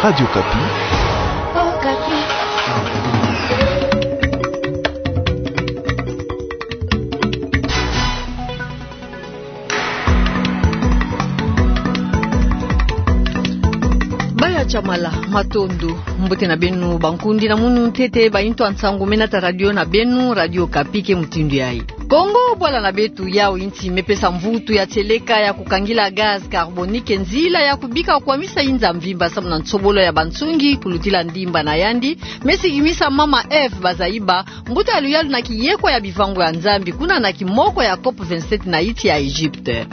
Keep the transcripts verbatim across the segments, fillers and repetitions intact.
Radio Okapi. Baya Tshamala, matondo. Mbote na beno bankundi na munu ntete bainto ya nsangu mena ta radio na beno, Radio Okapi ke mutindu yayi. Kongo, bwala na beto, yau insi me pesa mvutu ya tieleka ya kukangila gaz carbonique nzila ya kubika kwamisa inza mvimba samu na nsobolo ya bansungi kulutila ndimba na yandi, me sikimisa Mama Eve Bazaiba, mbuta ya luyalu na kiyekwa ya bivangu ya Nzambi, kuna na kimoko ya COP vingt-sept na insi ya Egypte.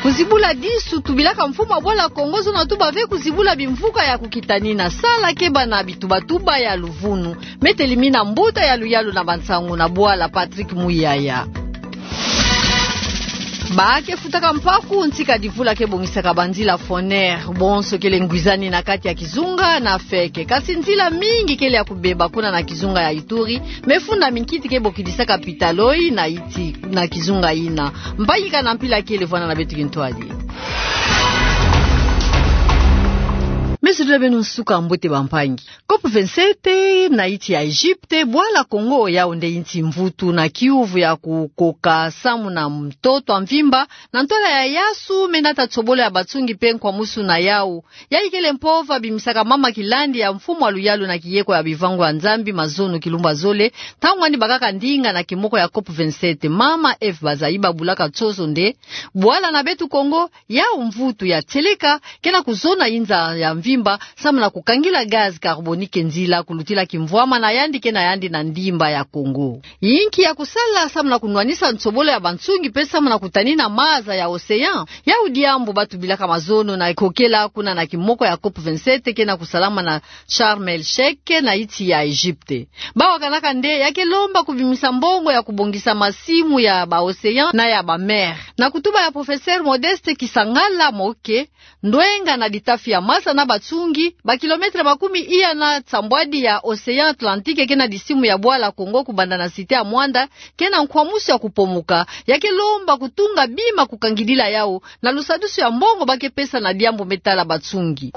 Kuzibula disu tubilaka mfumu ya bwala Kongo, zona tuba ve kuzibula bimvuka ya kukitanina, sala keba na bitubatuba ya luvunu. Me telimina mbuta ya luyalu na bansangu na bwala, Patrick Muyaya. Ba ke futaka mpaku, ntika divula ke bongisaka banzila Foner, bonso kele ngwizani na kati ya kizunga na feke. Kasi nzila mingi kele ya kubeba kuna na kizunga ya Ituri, me funda minkiti ke bokidisaka pitaloi na insi na kizunga yina. Mpangi kana mpila kele vwanda na beto kintwadi. Me sudula beno nsuka mbote bampangi. COP vingt-sept na insi ya Egypte, bwala Kongo yau nde insi mvutu na kiuvu ya kukoka samu na ntoto ya mvimba, na ntwala ya yasu, me nata nsobolo ya bansungi mpe nkwamusu na yau. Yayi kele mpova bimisaka mama kilandi ya mfumu ya luyalu na kiyekwa ya bivangu ya Nzambi, mazono kilumbu ya zole, ntangu yandi bakaka ndinga na kimoko ya COP vingt-sept. Mama Eve Bazaiba bulaka nsoso nde bwala na beto Kongo, yau mvutu ya tieleka, ke na kuzona inza ya mvimba, samu na kukangila gaz carbonique nzila, kulutila kimvwama na yandi ke na yandi na ndimba ya Kongo. Inki ya kusala samu na kunwanisa nsobolo ya bansungi mpe samu na kutanina maza ya océan? Yau diambu ba tubilaka mazono na kokela kuna na kimoko ya COP vingt-sept ke na kusalama na Sharm el Sheikh na insi ya Egypte. Ba wakanaka nde ya ke lomba kubimisa mbongo ya kubongisa masimu ya ba océan na ya ba mer. Na kutuba ya professeur Modeste Kisangala Moke, ndwenga na ditafi ya masa na bansungi, ba kilomètre makumi iya na nsambwadi ya océan Atlantique ke na disimu ya bwala Kongo kubanda na Cité ya Muanda, ke na nkwamusu ya kupomuka, ya ke lomba kutunga bima kukangidila yau, na lusadusu ya mbongo ba ke pesa na diambu me tala bansungi.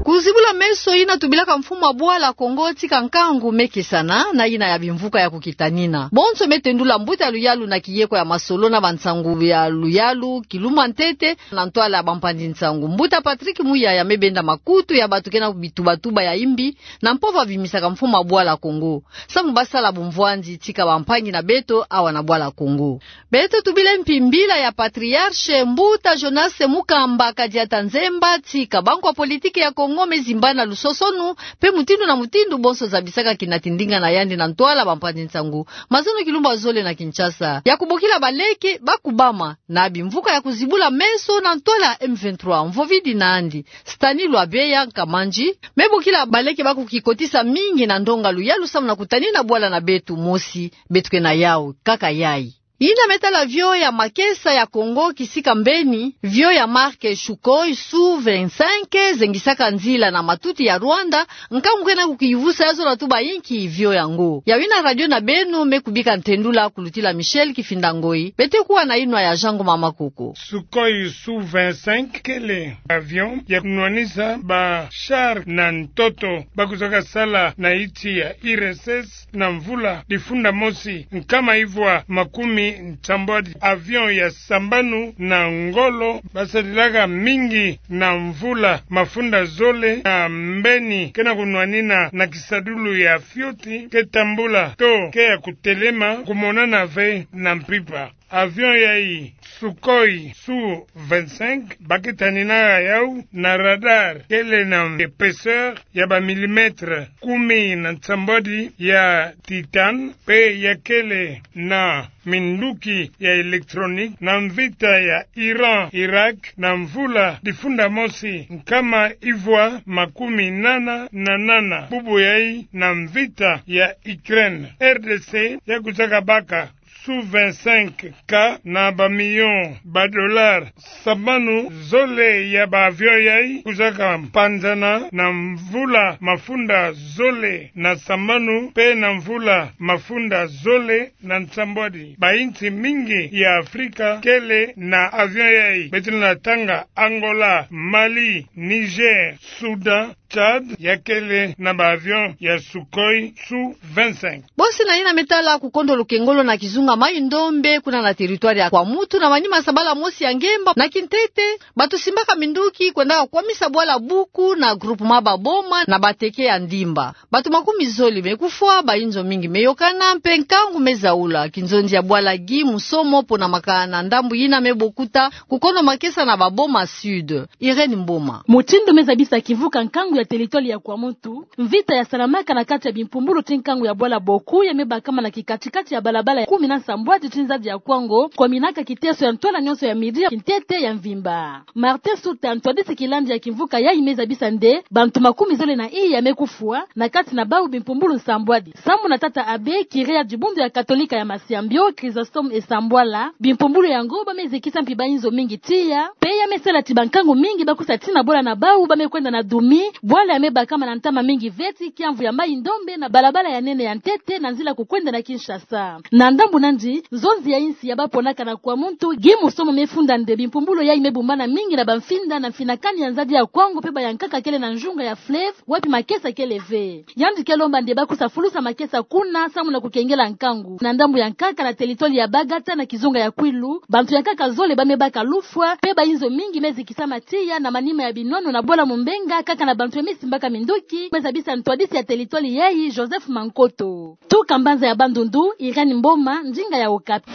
Kuzibula meso yina tubilaka mfumu ya bwala Kongo tika nkangu me kesana na yina ya bimvuka ya kukitanina. Bonso me tendula mbuta ya luyalu na kiyekwa ya masolo na bansangu ya luyalu, kilumbu ya ntete, na ntwala ya bampanzi nsangu. Mbuta Patrick Muyaya me benda makutu ya bantu ke na bitubatuba ya imbi, na mpova bimisaka mfumu ya bwala Kongo. Samu ba sala bumvwanzi tika bampangi na beto awa na bwala Kongo. Beto tubile mpi mbila ya patriarche, mbuta Jonas Mukamba Kadiata Nzemba, tika bankwa politiki ya Kongo me zimbana lusosonu, mpe mutindu na mutindu bonso zabisaka kinati ndinga na yandi na ntwala bampanzi nsangu. Mazono kilumbu ya zole na Kinshasa. Ya kubokila baleke ba kubama na bimvuka ya kuzibula meso na ntwala M vingt-trois, mvovidi na yandi Stani Lwabeya Nkamanji, me bokila baleke ba kukikotisa mingi na ndonga luyalu samu na kutanina bwala na beto mosi, beto ke na yau, kaka yayi. Yina me tala avion ya makesa ya Kongo kisika mbeni, avion ya marque Sukhoi Su vingt-cinq, zengisaka nzila na matuti ya Rwanda, nkangu ke na kukivusa ya zona tuba inki avion yango. Yawu yina radio na beno me kubika ntendula kulutila Michel Kifinda Ngoi, beto kuwa na yinwa ya Jean Ngoma Makoko. Sukhoi Su vingt-cinq kele avion ya kunwanisa ba char na ntoto, ba kuzaka sala na insi ya I R S S na mvula difunda mosi nkama ivwa makumi nsambwadi. Avion ya sambanu na ngolo ba sadilaka mingi na mvula mafunda zole na mbeni, ke na kunwanina na kisadulu ya fioti ke tambula to ke ya kutelema, kumonana ve na mpimpa. Avion yayi, Sukhoi Su vingt-cinq, ba ke tanina yawu na radar kele na épaisseur ya ba millimètres kumi na nsambwadi ya titane, mpe ya kele na minduki ya électronique na mvita ya Iran Irak na mvula difunda mosi nkama ivwa makumi nana na nana, bubu yayi na mvita ya Ukraine. R D C ya kuzaka baka sous vingt-cinq K na bamilio ba dollars sambanu zole ya ba avion yai, kuzaka mpanzana na mvula mafunda zole na sambanu, mpe na mvula mafunda zole na nsambwadi. Bainsi mingi ya Afrika kele na avion yai, beto na tanga Angola, Mali, Niger, Soudan, Tchad, ya kele na ba avion ya Sukhoi sous vingt-cinq. Bosi na yina me tala kukondolo kengolo na kizunga Maï-Ndombe, kuna na territoire ya Kwamouth, na manima sabala mosi ya ngemba na kintete, bato simbaka minduki kwendaka kwamisa bwala Buku na groupement Baboma na bateke ya Ndimba. Bato makumi zole me kufwa, bainzo mingi me yokana, mpe nkangu me zaula. Kinzonzi ya bwala Guy Musomo, pona makana ndambu yina me bokuta kukono makesa na Baboma Sud. Irène Mboma. Mutindu me zabisa kimvuka nkangu ya territoire ya Kwamouth, mvita ya salamaka na kati ya bimpumbulu ti nkangu ya bwala Boku ya me bakama na kikati-kati ya balabala ya kumi na nsambwadi ti nzadi ya Kwango, kominaka kiteso ya ntwala nyonso ya midi ya kintete ya mvimba. Martin Suta, ntwadisi kilandi ya kimvuka yai, me zabisa nde bantu makumi zole na iya me kufwa, na kati na bau bimpumbulu nsambwadi. Samu na tata abbé, curé ya dibundu ya Katolika ya Masiambio, Chrysostome Esambwala, bimpumbulu yango ba me zikisa mpi bainzo mingi tiya, mpe ya me sala ti bankangu mingi ba kusa tina bwala na bau ba me kwenda na dumi bwala ya me bakama na ntama mingi ve ti kiamvu ya Maï-Ndombe na balabala ya nene ya ntete na nzila kukwenda na Kinshasa. Na ndambu nandi, nzonzi ya insi ya baponaka na Kwamouth, Guy Musomo, me funda nde bimpumbulu yai me bumbana mingi na bamfinda na mfinakani ya nzadi ya Kwango mpe bayankaka kele na njunga ya fleuve, wapi makesa kele ve. Yandi ke lomba nde ba kusa fulusa makesa kuna, samu na kukengela nkangu. Na ndambu ya nkaka, na territoire ya Bagata na kizunga ya Kwilu, bantu ya nkaka zole ba me baka lufwa, mpe bainzo mingi me zikisama tiya na manima ya binono na bwala Mumbenga, kaka na bantu ya me simbaka minduki, me zabisa ntwadisi ya territoire yai, Joseph Mankoto. Tuka mbanza ya Bandundu, Irène Mboma, ndinga ya Okapi.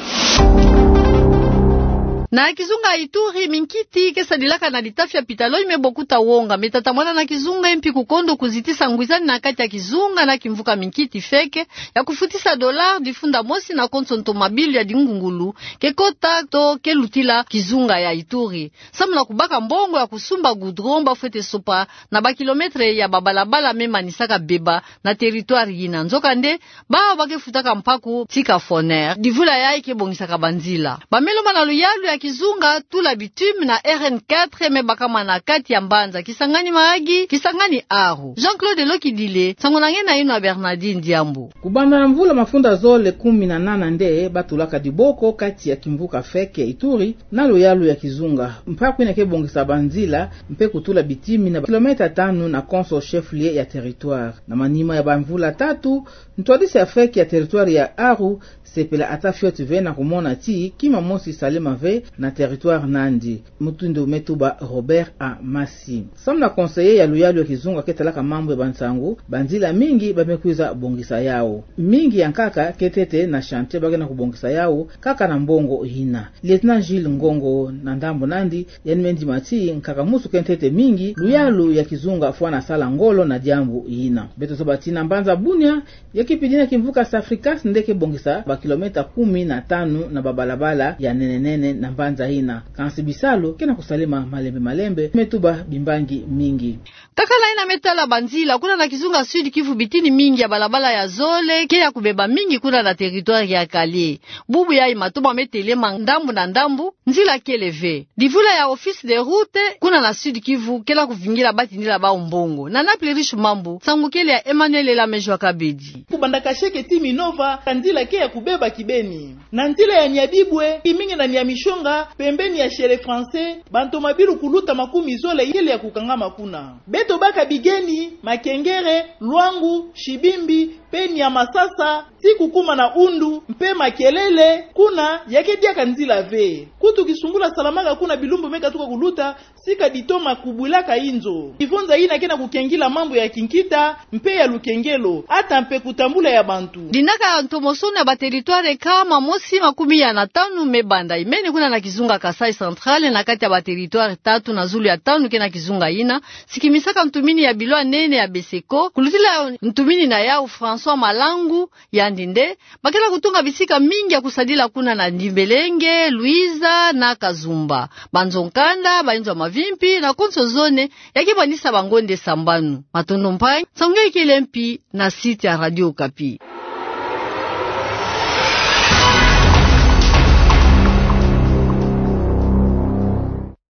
Na kizunga Ituri, minkiti ke sadilaka na litafi ya pitalo i me bokuta wonga, me tatamana na kizunga, e mpi kukondo kuzitisa ngwizani na kati ya kizunga na kimvuka minkiti feke, ya kufutisa dollar difunda mosi na konso ntomabilu ya dingungulu ke kota to ke lutila kizunga ya Ituri. Samu na kubaka mbongo ya kusumba goudron, ba fwete sopa na ba kilomètre ya babalabala me manisaka beba na territoire yina. Nzokande, bawu ba ke futaka mpaku tika Foner. Divula yayi ke bongisaka banzila. Ba me lomba na luyalu ya kizunga tula bitume na R N quatre me bakama na kati ya mbanza Kisangani Mahagi, Kisangani Aru. Jean-Claude Lokidile, nsangu na nge na yino na Bernardine Diambu. Kubanda na mvula mafunda zole kumi na nana nde ba tulaka diboko kati ya kimvuka feke ya Ituri na luyalu ya kizunga. Mpaku yina ke bongisa banzila mpe kutula bitimi na kilomètre tanu na konso chef-lieu ya territoire. Na manima ya bamvula tatu, ntwadisi ya feke ya territoire ya Aru sepela ata fioti ve na kumona ti kima mosi salema ve na territoire nandi. Mutindu me tuba Robert Amasi, samu na conseiller ya luyalu ya kizunga ke talaka mambu ya bansangu, banzila mingi ba me kwiza bongisa yawu. Mingi ya nkaka ke ntete na chantier, ba ke na kubongisa yawu kaka na mbongo yina. Lieutenant Jules Ngongo, na ndambu nandi, yandi me ndima ti nkaka musu ke ntete mingi, luyalu ya kizunga fwana sala ngolo na diambu yina. Beto zaba ti na mbanza Bunia, ya kipidi na kimvuka Safricas nde ke bongisa ba kilomètre kumi na tanu na babalabala ya nene-nene na mbanza yina. Kansi bisalu ke na kusalema malembe-malembe, me tuba bimbangi mingi. Kaka na yina me tala banzila, kuna na kizunga Sud-Kivu bitini mingi ya balabala ya zole ke ya kubeba mingi kuna na territoire ya Kale. Bubu yayi matomo me telema ndambu na ndambu, nzila kele ve. Divula ya Office des Routes kuna na Sud-Kivu ke na kuvingila batindila bawu mbongo. Na Naples Riche Mambu, nsangu kele ya Emmanuel Elamejo Kabedi. Kubanda Kasheke ti Minova, ka nzila ke ya kubeba kibeni. Na nzila ya Nyabibwe, kimingi na Nyamishonga, pembeni ya Chez les Français, bantomabilu kuluta makumi zole kele ya kukangama kuna. Beto baka Bigeni, Makengere, Luangu, Shibimbi, mpe Nyamasasa, ti kukuma na Undu, mpe Makelele, kuna ya ke diaka nzila ve. Kutu kisungula salamaka kuna bilumbu me katuka kuluta, sika ditoma kubwilaka inzo. Kivonza yina ke na kukengila mambu ya kinkita, mpe ya lukengelo, ata mpe kutambula ya bantu. Dinaka ya ntomosono ya ba territoire kama mosi makumi ya na tanu me banda imene kuna na kizunga Kasaï Central, na kati ya ba territoire tatu na zulu ya tanu ke na kizunga yina, sikimisaka ntumini ya bilo ya nene ya Beseko, kulutila ntumini na yawu François Malangu, yandi nde ba ke na kutunga bisika mingi ya kusadila kuna na Ndimbelenge, Luiza na Kazumba. Banzo nkanda, bainzo ya mavimpi na konso zone, ya ke banisa bangonde sambanu. Matondo mpangi, nsangu nge kele mpi na site ya Radio Okapi.